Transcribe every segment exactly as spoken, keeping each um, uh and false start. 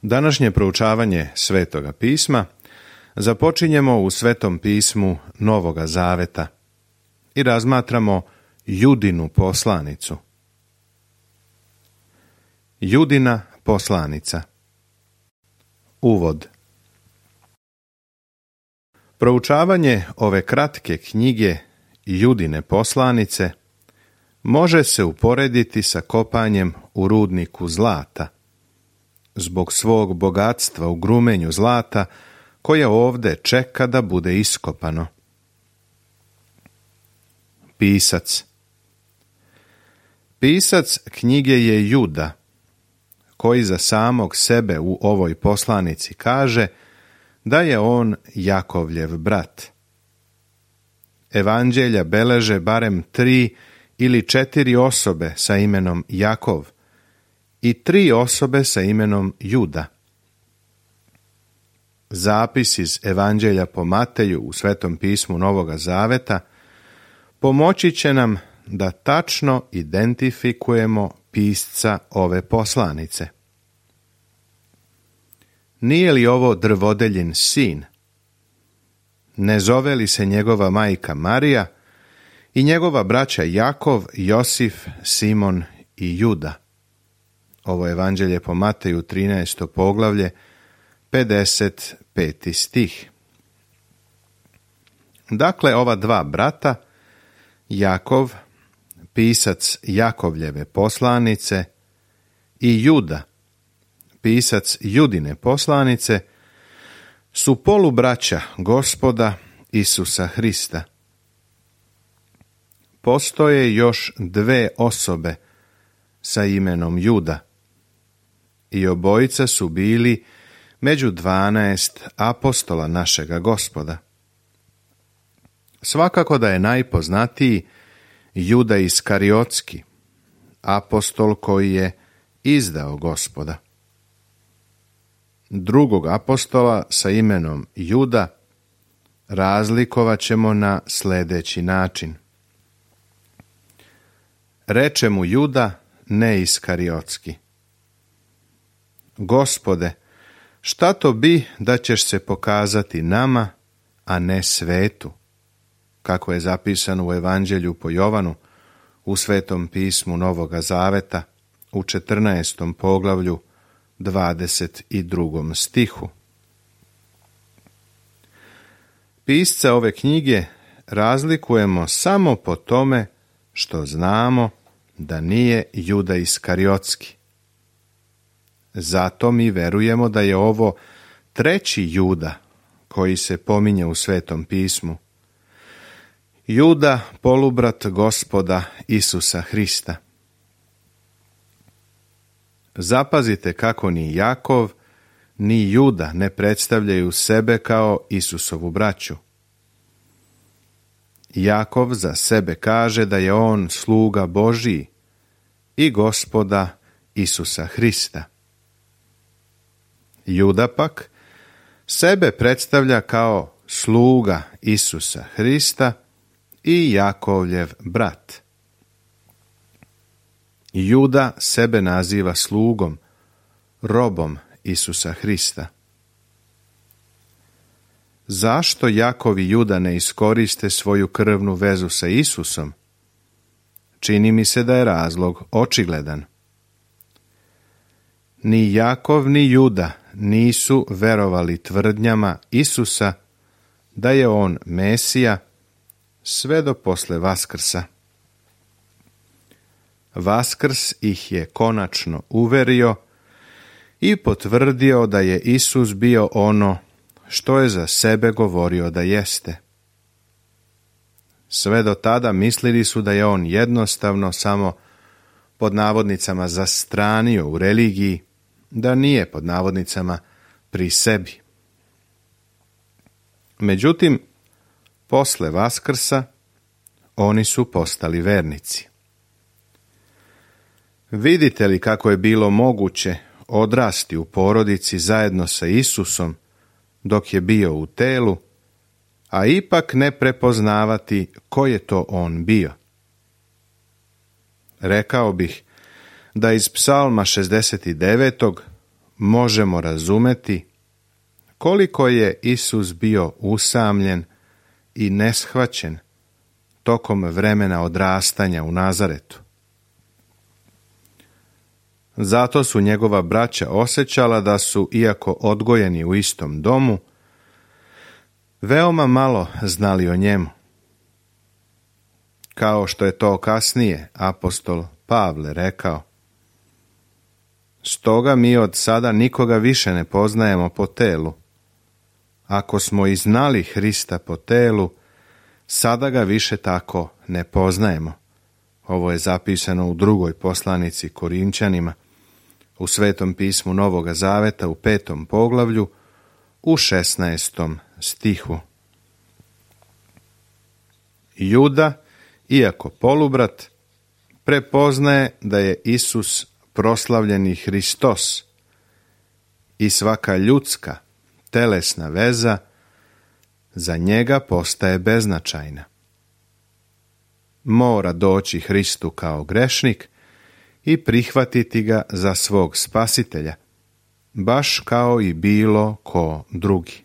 Današnje proučavanje Svetoga pisma započinjemo u Svetom pismu Novoga Zaveta i razmatramo Judinu poslanicu. Judina poslanica. Uvod. Proučavanje ove kratke knjige Judine poslanice može se uporediti sa kopanjem u rudniku zlata, zbog svog bogatstva u grumenju zlata koje ovdje čeka da bude iskopano. Pisac. Pisac knjige je Juda, koji za samog sebe u ovoj poslanici kaže da je on Jakovljev brat. Evanđelja beleže barem tri ili četiri osobe sa imenom Jakov i tri osobe sa imenom Juda. Zapis iz Evanđelja po Mateju u Svetom pismu Novoga Zaveta pomoći će nam da tačno identifikujemo pisca ove poslanice. Nije li ovo drvodeljin sin? Ne zove li se njegova majka Marija i njegova braća Jakov, Josif, Simon i Juda? Ovo Evanđelje po Mateju trinaesto poglavlje, pedeset peti stih. Dakle, ova dva brata, Jakov, pisac Jakovljeve poslanice, i Juda, pisac Judine poslanice, su polubraća Gospoda Isusa Hrista. Postoje još dve osobe sa imenom Juda i obojica su bili među dvanaest apostola našega Gospoda. Svakako da je najpoznatiji Juda Iskariotski, apostol koji je izdao Gospoda. Drugog apostola sa imenom Juda razlikovat ćemo na sljedeći način. Reče mu Juda, ne Iskariotski: Gospode, šta to bi da ćeš se pokazati nama, a ne svetu? Kako je zapisano u Evanđelju po Jovanu, u Svetom pismu Novoga Zaveta, u četrnaestom poglavlju, dvadeset drugom stihu. Pisca ove knjige razlikujemo samo po tome što znamo da nije Juda Iskariotski. Zato mi verujemo da je ovo treći Juda koji se pominje u Svetom pismu. Juda, polubrat Gospoda Isusa Hrista. Zapazite kako ni Jakov, ni Juda ne predstavljaju sebe kao Isusovu braću. Jakov za sebe kaže da je on sluga Božiji i Gospoda Isusa Hrista. Juda pak sebe predstavlja kao sluga Isusa Hrista i Jakovljev brat. Juda sebe naziva slugom, robom Isusa Hrista. Zašto Jakov i Juda ne iskoriste svoju krvnu vezu sa Isusom? Čini mi se da je razlog očigledan. Ni Jakov ni Juda nisu verovali tvrdnjama Isusa da je on Mesija sve do posle Vaskrsa. Vaskrs ih je konačno uverio i potvrdio da je Isus bio ono što je za sebe govorio da jeste. Sve do tada mislili su da je on jednostavno samo pod navodnicama zastranio u religiji, da nije pod navodnicama pri sebi. Međutim, posle Vaskrsa oni su postali vernici. Vidite li kako je bilo moguće odrasti u porodici zajedno sa Isusom dok je bio u telu, a ipak ne prepoznavati ko je to on bio? Rekao bih da iz Psalma šezdeset devetog možemo razumeti koliko je Isus bio usamljen i neshvaćen tokom vremena odrastanja u Nazaretu. Zato su njegova braća osjećala da su, iako odgojeni u istom domu, veoma malo znali o njemu. Kao što je to kasnije apostol Pavle rekao: stoga mi od sada nikoga više ne poznajemo po telu. Ako smo i znali Hrista po telu, sada ga više tako ne poznajemo. Ovo je zapisano u drugoj poslanici Korinčanima, u Svetom pismu Novoga Zaveta u petom poglavlju, u šesnaestom stihu. Juda, iako polubrat, prepoznaje da je Isus proslavljeni Hristos i svaka ljudska, telesna veza za njega postaje beznačajna. Mora doći Hristu kao grešnik i prihvatiti ga za svog spasitelja, baš kao i bilo ko drugi.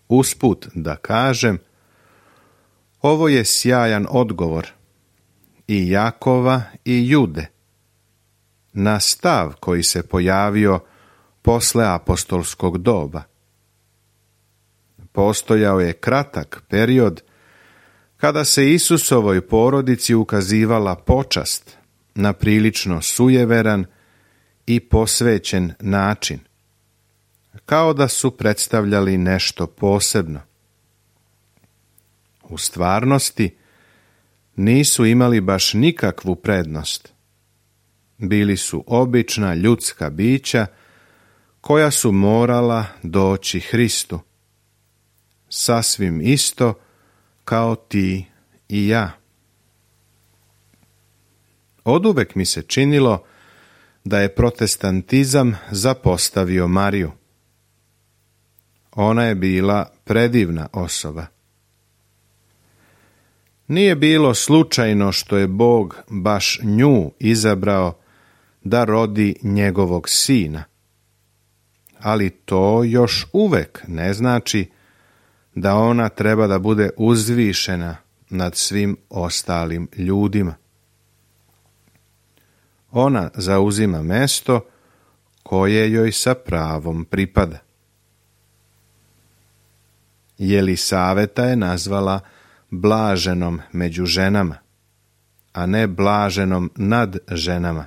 Usput da kažem, ovo je sjajan odgovor i Jakova i Jude na stav koji se pojavio posle apostolskog doba. Postojao je kratak period kada se Isusovoj porodici ukazivala počast na prilično sujeveran i posvećen način, kao da su predstavljali nešto posebno. U stvarnosti nisu imali baš nikakvu prednost. Bili su obična ljudska bića koja su morala doći Hristu, sasvim isto kao ti i ja. Oduvek mi se činilo da je protestantizam zapostavio Mariju. Ona je bila predivna osoba. Nije bilo slučajno što je Bog baš nju izabrao da rodi njegovog sina. Ali to još uvek ne znači da ona treba da bude uzvišena nad svim ostalim ljudima. Ona zauzima mesto koje joj sa pravom pripada. Jelisaveta je nazvala blaženom među ženama, a ne blaženom nad ženama.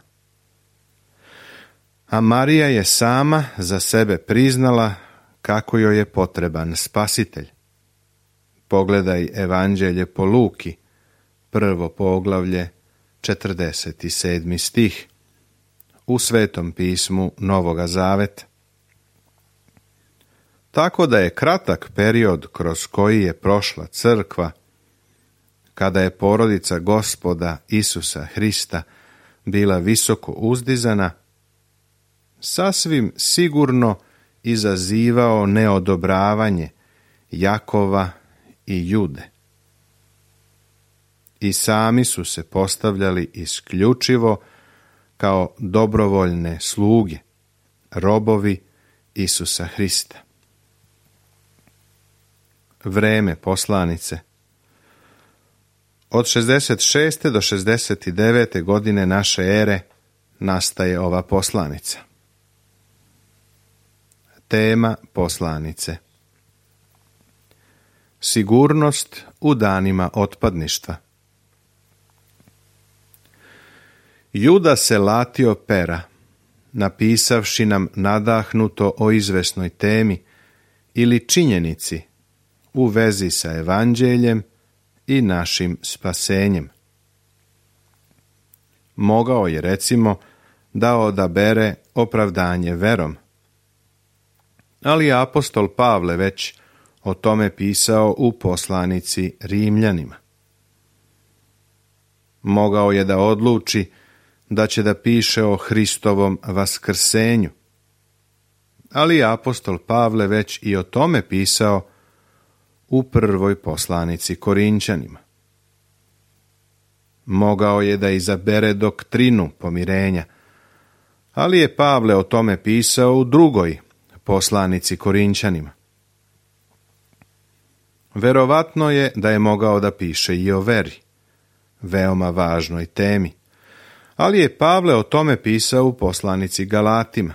A Marija je sama za sebe priznala kako joj je potreban spasitelj. Pogledaj Evanđelje po Luki, prvo poglavlje, četrdeset sedmi stih, u Svetom pismu Novoga Zaveta. Tako da je kratak period kroz koji je prošla crkva, kada je porodica Gospoda Isusa Hrista bila visoko uzdizana, sasvim sigurno izazivao neodobravanje Jakova i Jude. I sami su se postavljali isključivo kao dobrovoljne sluge, robovi Isusa Hrista. Vreme poslanice. Od šezdeset šeste do šezdeset devete godine naše ere nastaje ova poslanica. Tema poslanice: sigurnost u danima otpadništva. Juda se latio pera, napisavši nam nadahnuto o izvesnoj temi ili činjenici u vezi sa evanđeljem i našim spasenjem. Mogao je, recimo, da odabere opravdanje verom, ali apostol Pavle već o tome pisao u poslanici Rimljanima. Mogao je da odluči da će da piše o Hristovom vaskrsenju, ali apostol Pavle već i o tome pisao u prvoj poslanici Korinčanima. Mogao je da izabere doktrinu pomirenja, Ali je Pavle o tome pisao u drugoj poslanici Korinćanima. Verovatno je da je mogao da piše i o veri, veoma važnoj temi, ali je Pavle o tome pisao u poslanici Galatima.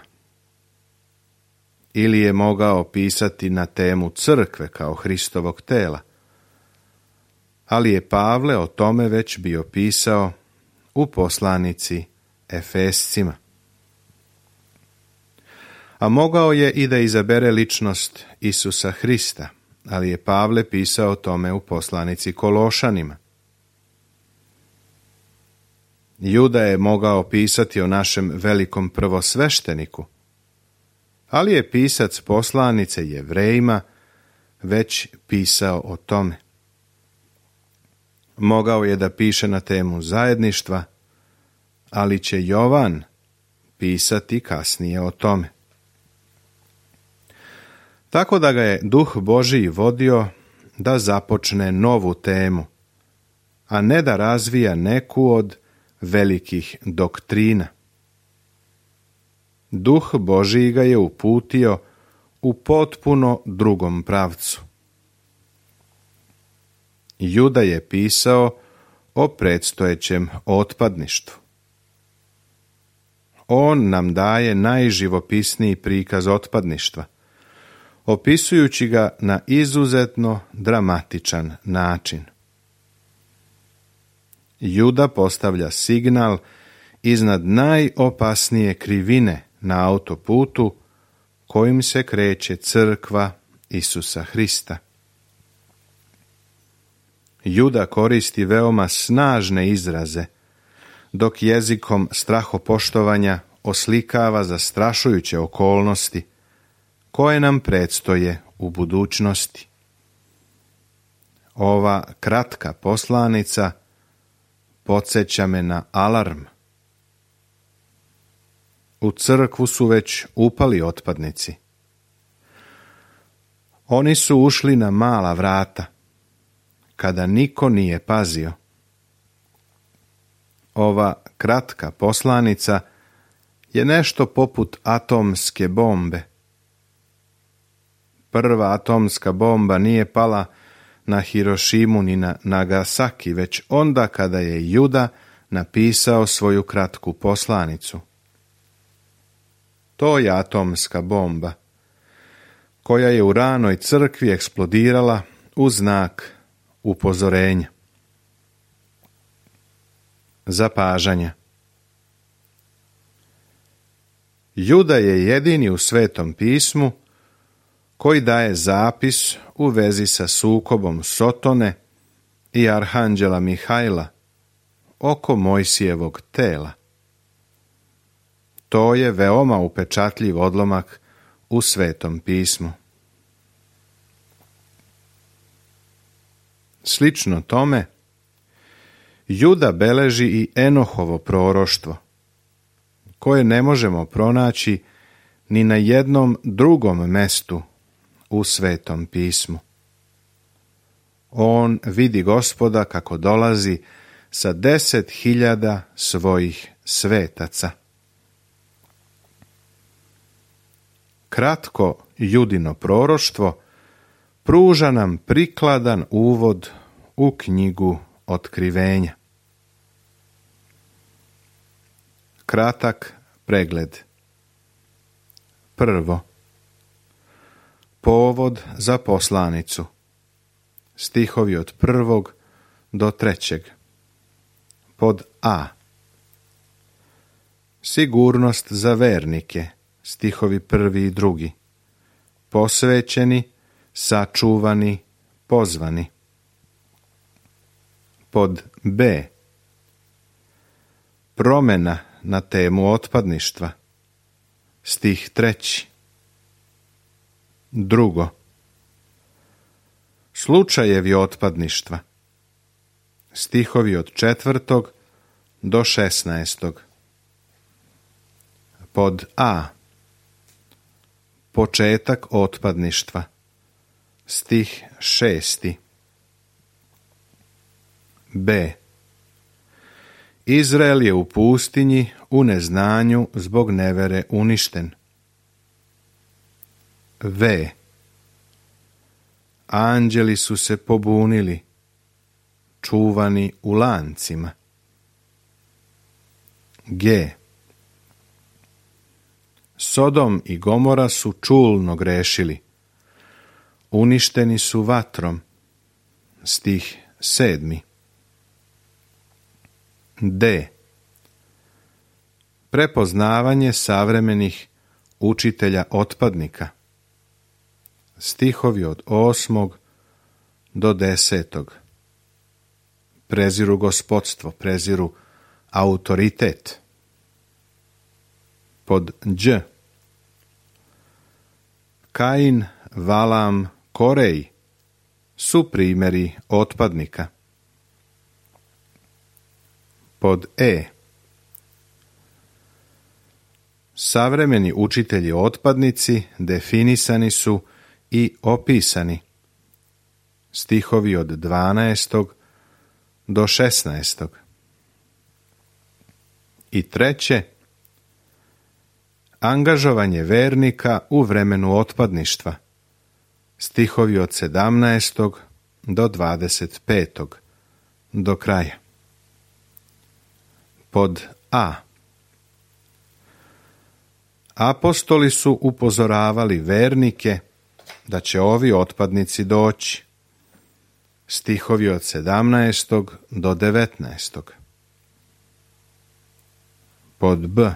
Ili je mogao pisati na temu crkve kao Hristovog tela, ali je Pavle o tome već bio pisao u poslanici Efescima. A mogao je i da izabere ličnost Isusa Hrista, ali je Pavle pisao o tome u poslanici Kološanima. Juda je mogao pisati o našem velikom prvosvešteniku, ali je pisac poslanice Jevrejima već pisao o tome. Mogao je da piše na temu zajedništva, ali će Jovan pisati kasnije o tome. Tako da ga je Duh Božiji vodio da započne novu temu, a ne da razvija neku od velikih doktrina. Duh Božiji ga je uputio u potpuno drugom pravcu. Juda je pisao o predstojećem otpadništvu. On nam daje najživopisniji prikaz otpadništva, opisujući ga na izuzetno dramatičan način. Juda postavlja signal iznad najopasnije krivine na autoputu kojim se kreće crkva Isusa Hrista. Juda koristi veoma snažne izraze, dok jezikom strahopoštovanja oslikava zastrašujuće okolnosti koje nam predstoje u budućnosti. Ova kratka poslanica podsjeća me na alarm. U crkvu su već upali otpadnici. Oni su ušli na mala vrata, kada niko nije pazio. Ova kratka poslanica je nešto poput atomske bombe. Prva atomska bomba nije pala na Hirošimu ni na Nagasaki, već onda kada je Juda napisao svoju kratku poslanicu. To je atomska bomba, koja je u ranoj crkvi eksplodirala u znak upozorenja. Zapažanja. Juda je jedini u Svetom pismu koji daje zapis u vezi sa sukobom Sotone i arhanđela Mihajla oko Mojsijevog tela. To je veoma upečatljiv odlomak u Svetom pismu. Slično tome, Juda beleži i Enohovo proroštvo, koje ne možemo pronaći ni na jednom drugom mestu u Svetom pismu. On vidi Gospoda kako dolazi sa deset hiljada svojih svetaca. Kratko Judino proroštvo pruža nam prikladan uvod u knjigu Otkrivenja. Kratak pregled. Prvo. Povod za poslanicu. Stihovi od prvog do trećeg. Pod A. Sigurnost za vernike. Stihovi prvi i drugi. Posvećeni, sačuvani, pozvani. Pod B. Promjena na temu otpadništva. Stih treći. Drugo. Slučajevi otpadništva. Stihovi od četvrtog do šesnaestog. Pod A. Početak otpadništva. Stih šesti. B. Izrael je u pustinji u neznanju zbog nevere uništen. V. Anđeli su se pobunili, čuvani u lancima. G. Sodom i Gomora su čulno grešili, uništeni su vatrom. Stih sedmi. D. Prepoznavanje savremenih učitelja otpadnika. Stihovi od osmog do desetog. Preziru gospodstvo, preziru autoritet. Pod Đ. Kain, Valam, Korej su primjeri otpadnika. Pod E. Savremeni učitelji otpadnici definisani su i opisani. Stihovi od dvanaestog do šesnaestog. I treće, angažovanje vernika u vremenu otpadništva. Stihovi od sedamnaestog do dvadeset petog. Do kraja. Pod A. Apostoli su upozoravali vernike da će ovi otpadnici doći. Stihovi od sedamnaestog do devetnaestog. Pod B.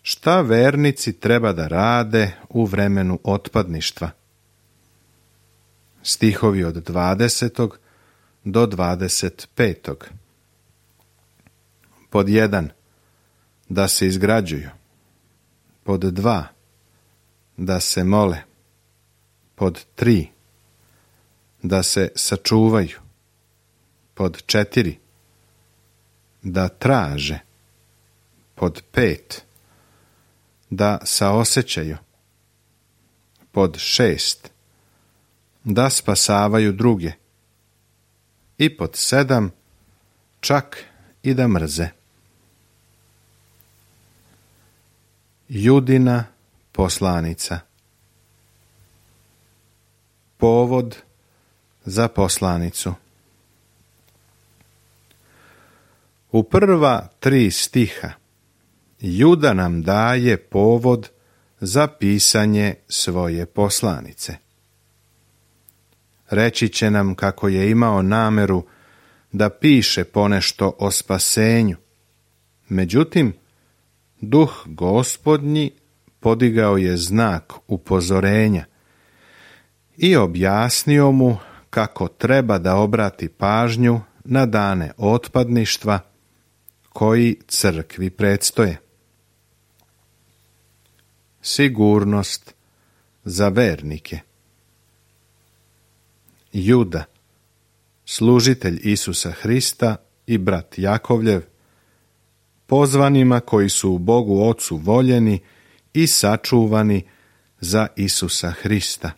Šta vernici treba da rade u vremenu otpadništva? Stihovi od dvadesetog do dvadeset petog. Pod jedan. Da se izgrađuju. Pod dva. Da se mole. Pod tri. Da se sačuvaju. Pod četiri. Da traže. Pod pet. Da saosećaju. Pod šest. Da spasavaju druge. I pod sedam. Čak i da mrze. Judina poslanica. Povod za poslanicu. U prva tri stiha Juda nam daje povod za pisanje svoje poslanice. Reći će nam kako je imao nameru da piše ponešto o spasenju. Međutim, Duh Gospodnji podigao je znak upozorenja i objasnio mu kako treba da obrati pažnju na dane otpadništva koji crkvi predstoje. Sigurnost za vernike. Juda, služitelj Isusa Hrista i brat Jakovljev, pozvanima koji su u Bogu Ocu voljeni i sačuvani za Isusa Hrista.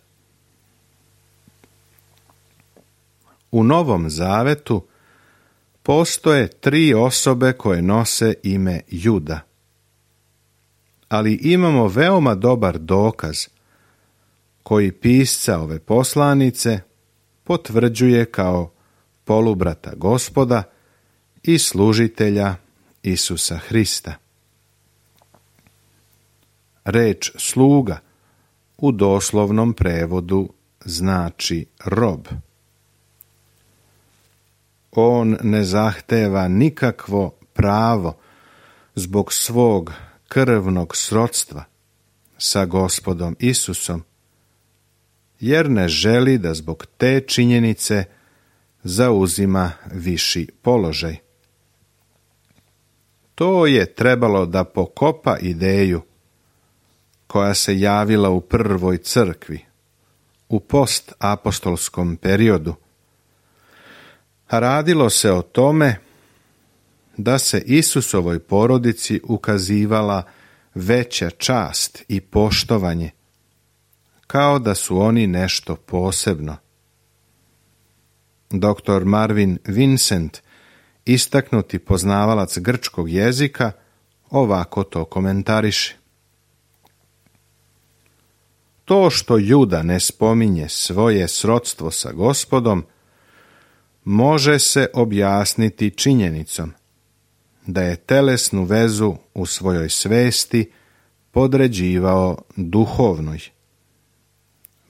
U Novom Zavetu postoje tri osobe koje nose ime Juda. Ali imamo veoma dobar dokaz koji pisca ove poslanice potvrđuje kao polubrata Gospoda i služitelja Isusa Hrista. Reč sluga u doslovnom prevodu znači rob. On ne zahteva nikakvo pravo zbog svog krvnog srodstva sa Gospodom Isusom, jer ne želi da zbog te činjenice zauzima viši položaj. To je trebalo da pokopa ideju koja se javila u prvoj crkvi, u postapostolskom periodu. A radilo se o tome da se Isusovoj porodici ukazivala veća čast i poštovanje, kao da su oni nešto posebno. Doktor Marvin Vincent istaknuti poznavalac grčkog jezika ovako to komentariše. To što Juda ne spominje svoje srodstvo sa Gospodom može se objasniti činjenicom da je telesnu vezu u svojoj svesti podređivao duhovnoj.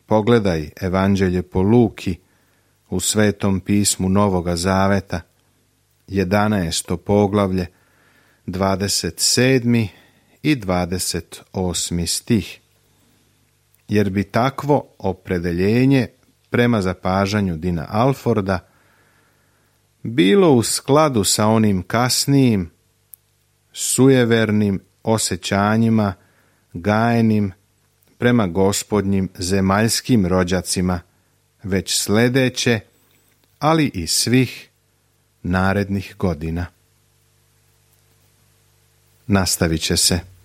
Pogledaj Evanđelje po Luki u Svetom pismu Novoga Zaveta, jedanaesto poglavlje, dvadeset sedmi i dvadeset osmi stih. Jer bi takvo opredeljenje prema zapažanju Dina Alforda bilo u skladu sa onim kasnijim, sujevernim osjećanjima gajenim prema gospodnjim zemaljskim rođacima, već sljedeće, ali i svih narednih godina. Nastavit će se.